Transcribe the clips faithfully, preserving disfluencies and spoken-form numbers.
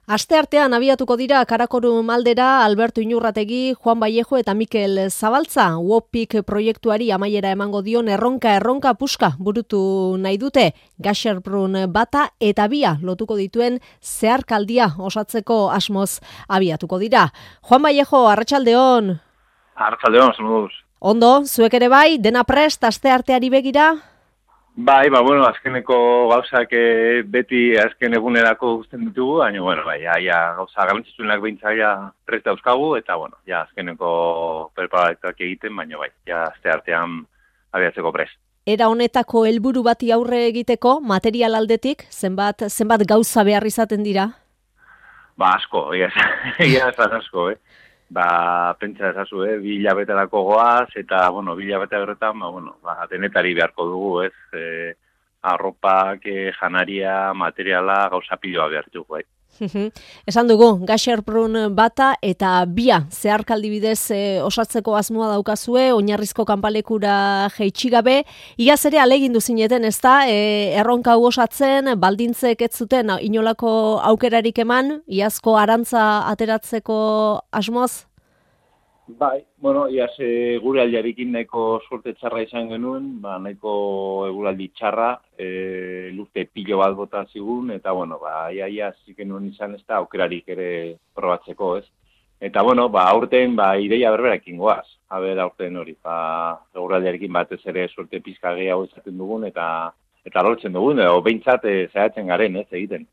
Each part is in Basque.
Asteartean abiatuko dira Karakorum aldera Alberto Inurrategi, Juan Vallejo eta Mikel Zabaltza. Wopik proiektuari amaiera emango dion erronka erronka puska burutu nahi dute. Gasherbrun bata eta bia lotuko dituen zeharkaldia osatzeko asmoz abiatuko dira. Juan Vallejo, arratsaldeon. Arratsaldeon, zenoduz. Ondo, zuek ere bai, dena prest astearteari begira? Bai, ba, bueno, azkeneko gauzak e, beti azken egunerako guztien ditugu, baina, bueno, bai, ja, ja, gauza garrantzitsuenak behintzaia prest dauzkagu, eta, bueno, ja, azkeneko preparatak egiten, baina, bai, ja, aste artean abiatzeko prest. Era honetako helburu bati aurre egiteko, material aldetik, zenbat, zenbat gauza behar izaten dira? Ba, asko, egia esan asko, eh? Ba, pentsa ezazu, eh? Bi hilabeterako goaz, eta, bueno, bi hilabete horretan, ba, bueno, ba, denetari beharko dugu, ez? E, arropak, e, janaria, materiala, gauza piloa behar dugu, bai. Esan dugu, Gasherbrun bata eta bia zeharkaldi bidez e, osatzeko asmoa daukazue, oinarrizko kanpalekura jeitsi gabe. Iaz ere alegindu zineten, ezta? E, erronka hau osatzen, baldintzek ez zuten inolako aukerarik eman, iazko arantza ateratzeko asmoz? Bai, bueno, iaz e, gure aldiarekin nahiko suerte txarra izan genuen, ba, nahiko eguraldi txarra, e, lurte pilo bat bota zigun, eta, bueno, ba, ia, ia, ziken nuen izan ez da, aukerarik ere probatzeko, ez? Eta, bueno, ba, aurten, ba, ideia berberakin goaz, haber aurten hori, ba, eguraldiarekin batez ere suerte pizka gehiago izaten dugun, eta eta lortzen dugun, edo behintzat e, zaiatzen garen, ez, egiten.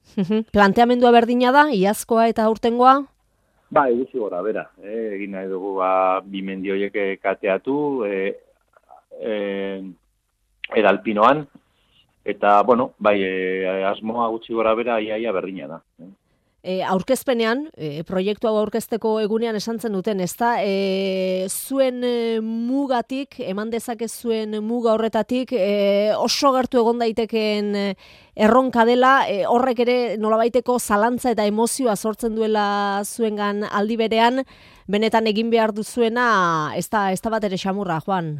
Planteamendua berdina da, iazkoa eta aurtengoa? Ba, eguzi gora, bera. Eh, egin nahi dugu ba, bi mendi horiek kateatu, e, e, edalpinoan, eta, bueno, bai, e, asmoa gutxi gora bera, iaia berdina da. Eh. E, aurkezpenean, e, proiektu hau aurkezteko egunean esan zen duten, ezta? E, zuen e, mugatik, eman dezake zuen muga horretatik, e, oso gertu egon daitekeen e, erronka dela, e, horrek ere nolabaiteko zalantza eta emozioa sortzen duela zuengan aldi berean, benetan egin behar duzuena, ez da, ez da bat ere xamurra, Juan?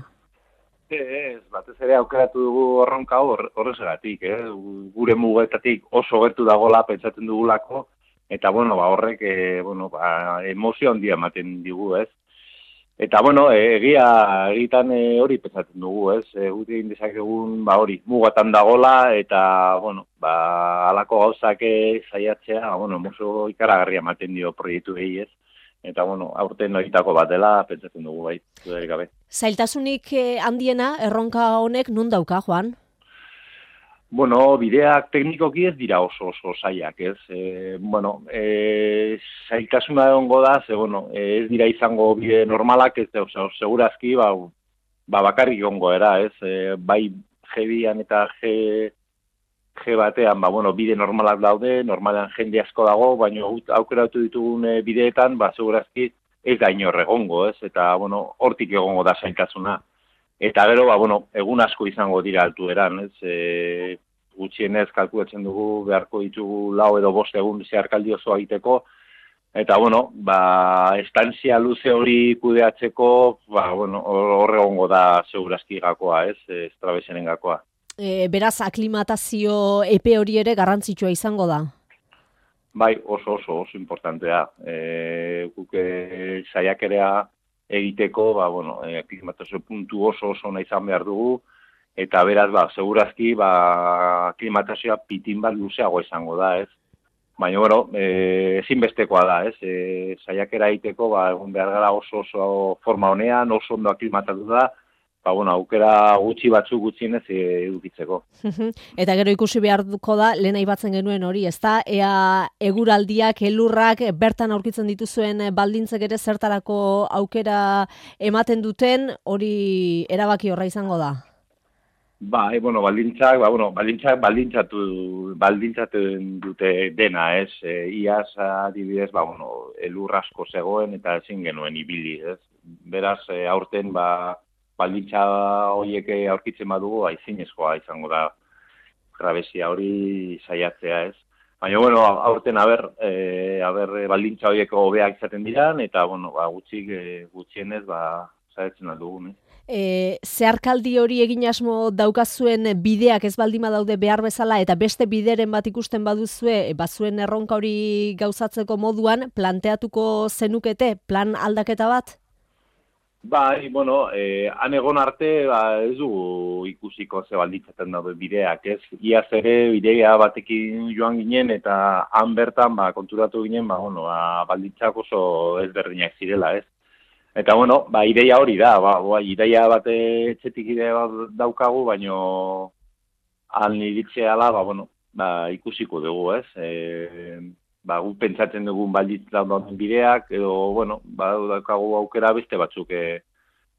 Ez, batez ere aukeratu dugu erronka horrezagatik, eh? Gure mugetatik oso gertu dagoela pentsatzen dugulako, eta, bueno, ba, horrek, e, bueno, ba, emozio handia ematen digu, ez? Eta, bueno, e, egia, egitan e, hori pentsatzen dugu, ez? E, Gute egin dezakegun, ba, hori, mugatan dagola, eta, bueno, ba, alako gauzak zaiatzea, bueno, emozio ikaragarria ematen dio proiektu gehi, ez? Eta, bueno, aurten horietako bat dela, pentsatzen dugu, bai, dudarik gabe. Zailtasunik handiena, erronka honek nun dauka, Juan? Bueno, bideak teknikoki ez dira oso oso zailak, ez? E, bueno, e, zailtasuna egongo da, ze, bueno, ez dira izango bide normalak, ez, oza, segurazki, ba, ba bakarrik egongo era, ez? E, bai G bian eta G, G batean, ba, bueno, bide normalak daude, normalean jende asko dago, baina aukeratu ditugun bideetan, ba, segurazki ez da inor egongo, ez? Eta, bueno, hortik egongo da zailtasuna. Eta gero, ba, bueno, egun asko izango dira altueran, ez? E, gutxienez kalkulatzen dugu beharko ditugu lau edo bost egun zeharkaldi oso egiteko, eta, bueno, ba, estantzia luze hori kudeatzeko, ba, bueno, horre egongo da segurazki gakoa, ez? Estrabesenen gakoa. E, beraz, aklimatazio epe hori ere garrantzitsua izango da? Bai, oso oso oso importantea. E, Guke saiakerea egiteko, ba, bueno, aklimatazio puntu oso oso nahi izan behar dugu, eta beraz, ba, segurazki, ba, aklimatazioa pitin bat luzeago izango da, ez? Baina, bueno, e, ezinbestekoa da, ez? E, saiakera egiteko, ba, egun behar gara oso oso forma honean, oso ondo aklimatatu da, ba, bueno, aukera gutxi batzuk gutxienez edukitzeko. Eta gero ikusi beharko da, lehen aipatzen genuen hori, ezta? Ea eguraldiak, elurrak, bertan aurkitzen dituzuen baldintzek ere zertarako aukera ematen duten, hori erabaki horra izango da? Ba, e, bueno, baldintzak, ba, bueno, baldintzak baldintzatu, baldintzaten dute dena, ez? E, iaz, adibidez, ba, bueno, elur asko zegoen eta ezin genuen ibili, ez? Beraz, e, aurten, ba, baldintza horiek aurkitzen badugu, aizinezkoa izango da grabezia hori saiatzea, ez? Baina, bueno, aurten aber, e, aber baldintza horiek hobeak izaten diran, eta, bueno, ba, gutxik, e, gutxienez, ba, saiatzen aldugun, eh? E, zeharkaldi hori egin asmo daukazuen bideak ez baldima daude behar bezala eta beste bideren bat ikusten baduzue, e, bazuen erronka hori gauzatzeko moduan, planteatuko zenukete plan aldaketa bat? Bai, bueno, eh, han egon arte ba, ez du ikusiko ze balditzaten daude bideak, ez? Iaz ere bidea batekin joan ginen eta han bertan ba, konturatu ginen ba, bueno, ba, balditzak oso ezberdinak zirela, ez? Eta, bueno, ba, ideia hori da, ba, ba, ideia bate etxetik ideia bat daukagu, baino han iritzeala, ba, bueno, ba, ikusiko dugu, ez? E, ba, gu pentsatzen dugun balditza dauden bideak, edo, bueno, ba, daukagu aukera beste batzuk e,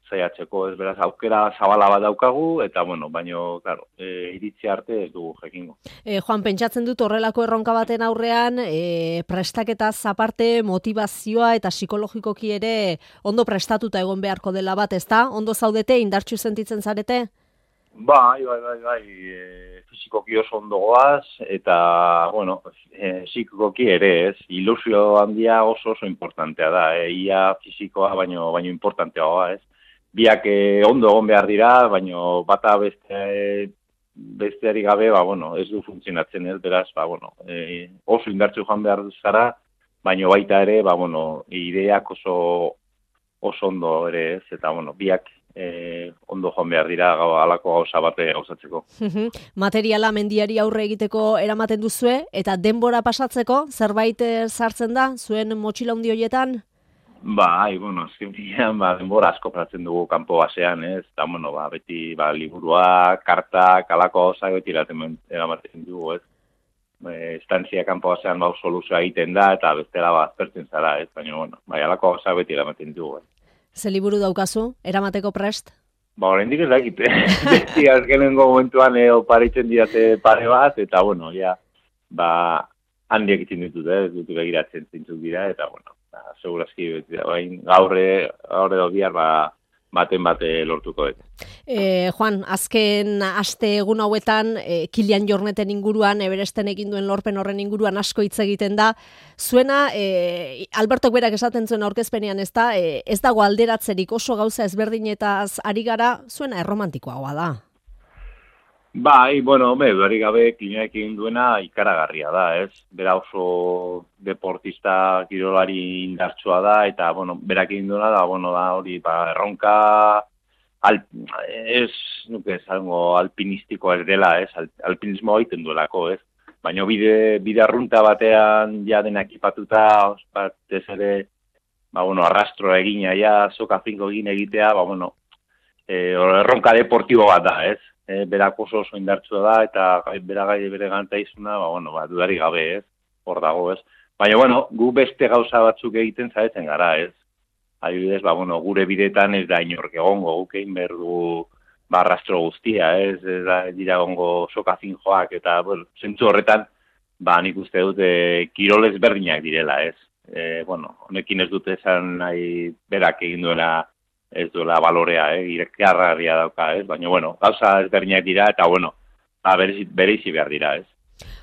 zaiatzeko, ez beraz, aukera zabala bat daukagu, eta, bueno, baino, claro, e, iritzi arte ez dugu jekingo. E, Juan, pentsatzen dut horrelako erronka baten aurrean, e, prestaketaz aparte motivazioa eta psikologikoki ere ondo prestatuta egon beharko dela bat, ezta? Ondo zaudete, indartsu sentitzen zarete? Bai, bai, bai, bai, e, fizikoki oso ondo goaz, eta, bueno, e, psikikoki ere, ez, ilusio handia oso oso importantea da, e, ia fizikoa baino, baino importantea ez. Biak e, ondo egon behar dira, baino bata beste, besteari gabe, ba, bueno, ez du funtzionatzen ez, beraz, ba, bueno, e, oso indartzu joan behar zara, baino baita ere, ba, bueno, ideak oso, oso ondo ere ez, eta, bueno, biak Eh, ondo joan behar dira halako gauza bate gauzatzeko. Materiala mendiari aurre egiteko eramaten duzue, eta denbora pasatzeko zerbait sartzen da, zuen motxila handi horietan? Bai, bueno, azken finean, ba, denbora asko pratzen dugu kanpo basean, ez? Eta, bueno, ba, beti, ba, liburua, kartak, halako gauza beti eramaten dugu, ez? E, estantzia kanpo basean, ba, soluzioa egiten da, eta bestela, ba, azpertzen zara, ez? Baina, bueno, bai, halako gauza beti eramaten dugu, ez? Ze liburu daukazu, eramateko prest? Ba, oraindik ez dakit, beti azkenengo momentuan eh, oparitzen dirate pare bat, eta, bueno, ja, ba, handiak itzen ditut, eh, dut begiratzen zintzuk dira, eta, bueno, ba, segurazki, beti, bain, gaurre, gaurre do bihar, ba, baten bate lortuko dut. E, Juan, azken aste egun hauetan, e, Kilian Jorneten inguruan, Everesten egin duen lorpen horren inguruan asko hitz egiten da. Zuena, e, Albertok berak esaten zuen aurkezpenean, ez da, e, ez dago alderatzerik oso gauza ezberdinetaz ari gara, zuena erromantikoagoa da. Bai, bueno, be, dudarik gabe Kilianek egin duena ikaragarria da, ez? Bera oso deportista kirolari indartsua da, eta, bueno, berak egin duena da, bueno, da, hori, ba, erronka, al, ez, nuke, zango, alpinistiko ez dela, ez? Al, alpinismo egiten duelako, ez? Baina bide, bide arrunta batean ja denak ipatuta, batez ere, ba, bueno, arrastroa egina, ja, soka finko egin egitea, ba, bueno, e, erronka deportibo bat da, ez? E, berak oso oso indartsua da, eta beragai bere gantaizuna, ba, bueno, ba, dudari gabe, ez, hor dago, ez. Baina, bueno, gu beste gauza batzuk egiten zaretzen gara, ez. Adibidez, ba, bueno, gure bidetan ez da inork egongo, guk egin behar du, ba, arrastro guztia, ez, ez da, dira egongo soka finjoak, eta, bueno, zentzu horretan, ba, nik uste dute kirolez berdinak direla, ez. E, bueno, honekin ez dute esan nahi berak egin duela, ez duela balorea, eh, irekarraria dauka, ez? Baina, bueno, gauza ezberdinak dira, eta, bueno, ba, bereizi behar dira, ez?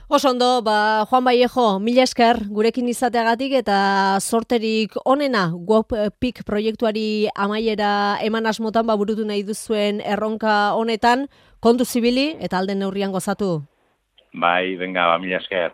Oso ondo, ba, Juan Vallejo, mila esker gurekin izateagatik eta sorterik onena WOPPIK proiektuari amaiera eman asmotan ba, burutu nahi duzuen erronka honetan, kontu zibili eta alden neurrian gozatu. Bai, venga, ba, mila esker.